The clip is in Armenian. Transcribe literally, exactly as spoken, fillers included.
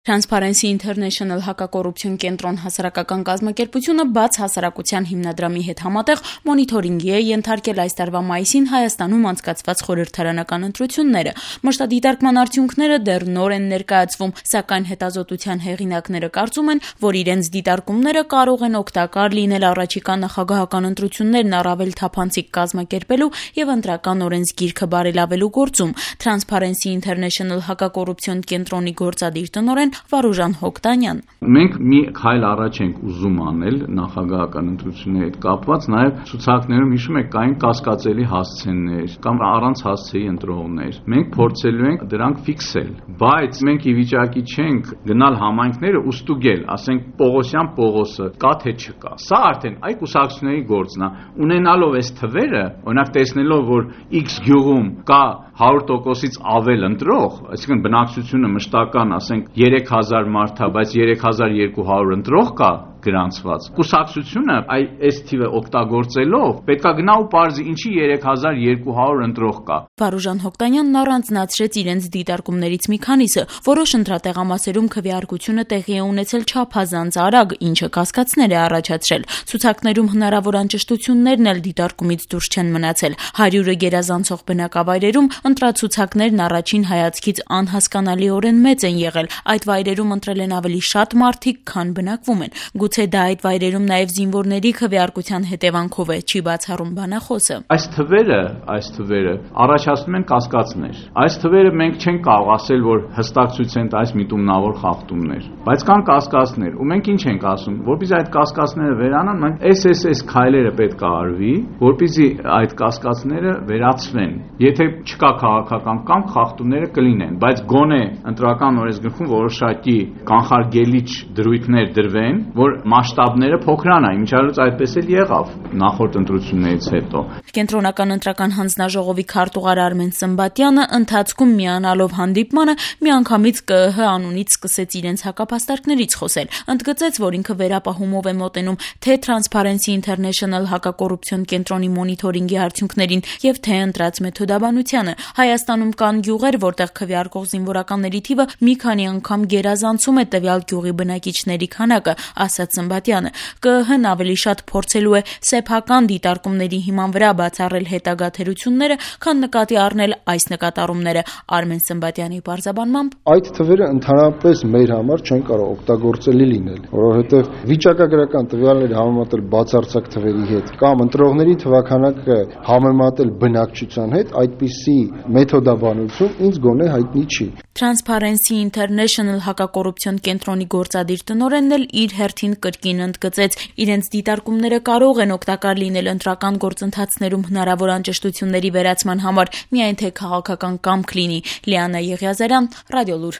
Transparency International հակակոռուպցիոն կենտրոն հասարակական կազմակերպությունը բաց հասարակության հիմնադրամի հետ համատեղ մոնիթորինգի է ենթարկել այս տարվա մայիսին Հայաստանում անցկացված խորհրդարանական ընտրությունները։ Մշտադիտարկման արդյունքները դեռ նոր են ներկայացվում, սակայն հետազոտության հեղինակները կարծում են, որ իրենց դիտարկումները կարող են օգտակար լինել առաջիկա նախագահական ընտրություններն առավել թափանցիկ կազմակերպելու եւ ընտրական օրենսգիրքը բարելավելու գործում։ Transparency International հակակոռուպցիոն կենտրոնի գործադիր տնօրեն Վարուժան Հոկտանյան. Մենք մի քայլ առաջ ենք ուզում անել նախագահական ընտրությունների հետ կապված, նաև ցուցակներում հիշում եք կային կասկածելի հասցեներ կամ առանց հասցեի ընտրողներ։ Մենք փորձելու ենք դրանք ֆիքսել, բայց մենք ի վիճակի չենք գնալ համայնքները ու ստուգել, ասենք Պողոսյան Պողոսը կա թե չկա։ Սա արդեն այ կուսակցությունների գործն է։ Ունենալով այս թվերը, օրինակ տեսնելով, որ X գյուղում կա հարյուր տոկոսից ավել ընտրող, այսինքն բնակչությունը մշտական, ասենք երեք հազար մարդ է, բայց երեք հազար երկու հարյուր ընտրող կա գրանցված։ Կուսակցությունը այ այս թիվը օգտագործելով պետքա գնա ու պարզի ինչի երեք հազար երկու հարյուր ընտրող կա։ Վարուժան Հոկտանյանն առանձնացրեց իրենց դիտարկումներից մի քանիսը, որոշ ընտրատեղամասերում քվեարկությունը տեղի է ունեցել չափազանց արագ, ինչը կասկածներ է առաջացրել։ Ցուցակներում հնարավոր անճշտություններն էլ դիտարկումից դուրս չեն մնացել։ հարյուրը գերազանցող բնակավայրերում ընտրացուցակներն առաջին հայացքից անհասկանալիորեն մեծ են եղել։ Այդ վայրերում ընտրել են ավելի շատ մարդիկ, քան բնակվում են։ Գուցե դա այդ վայրերում նաև զինվորների քվեարկության հետևանքով է, չի բացառում բանախոսը։ Այս թվերը, այս թվերը առաջացնում են կասկածներ։ Այս թվերը մենք չենք կարող ասել, որ հստակ ցույց են տալիս միտումնավոր խախտումներ, բայց կան կասկածներ, ու մենք ինչ ենք ասում, որպեսզի այդ կասկածները վերանան, մենք էս էս էս քայլերը պետք է արվի, որպեսզի այդ կասկածները վերացվեն։ Եթե չկա քաղաքական կամք, խախտումները կլինեն, բայց գոնե ընտրական օրենսգրքում որոշակի կանխարգելիչ դրույթներ դրվեն, որ մասշտաբները փոքրանա, ինչալուց այդպես էլ եղավ նախորդ ընտրություններից հետո։ Կենտրոնական ընտրական հանձնաժողովի քարտուղար Արմեն Սմբատյանը ընթացքում միանալով հանդիպմանը միանգամից Կ ԸՀ անունից սկսեց իրենց հակապաստարկներից խոսել։ Ընդգծեց, որ ինքը վերապահումով է մոտենում թե Transparency International հակակոռուպցիոն կենտրոնի մոնիթորինգի արդյունքներին եւ թե ընտրած մեթոդաբանությանը։ Հայաստանում կան գյուղեր, որտեղ քվեարկող զինվորականների թիվը մի քանի անգամ գերազանցում է տվյալ գյուղի բնակիչների քանակը, ասաց Սմբատյանը։ Կ ԸՀ-ն ավելի շատ փորձելու է սեփական դիտարկումների հիման վրա բացառել հետագա թերությունները, քան նկատի առնել այս նկատառումները։ Արմեն Սմբատյանի պարզաբանմամբ այդ թվերը ընդհանրապես մեր համար չեն կարող օգտագործելի լինել, որովհետև վիճակագրական տվյալները համեմատել բացարձակ թվերի հետ կամ ընտրողների թվաքանակը համեմատել բնակչության հետ, այդպիսի մեթոդաբանություն ինձ գոնե հայտնի չի։ Transparency International հակակոռուպցիոն կենտրոնի գործադիր տնօրենն էլ իր հերթին կրկին ընդգծեց, իրենց դիտարկումները կարող են օգտակար լինել ընտրական գործընթացներում հնարավոր անճշտությունների վերացման համար, միայն թե քաղաքական կամք լինի։ Լիանա Եղիազարյան, Ռադիոլուր։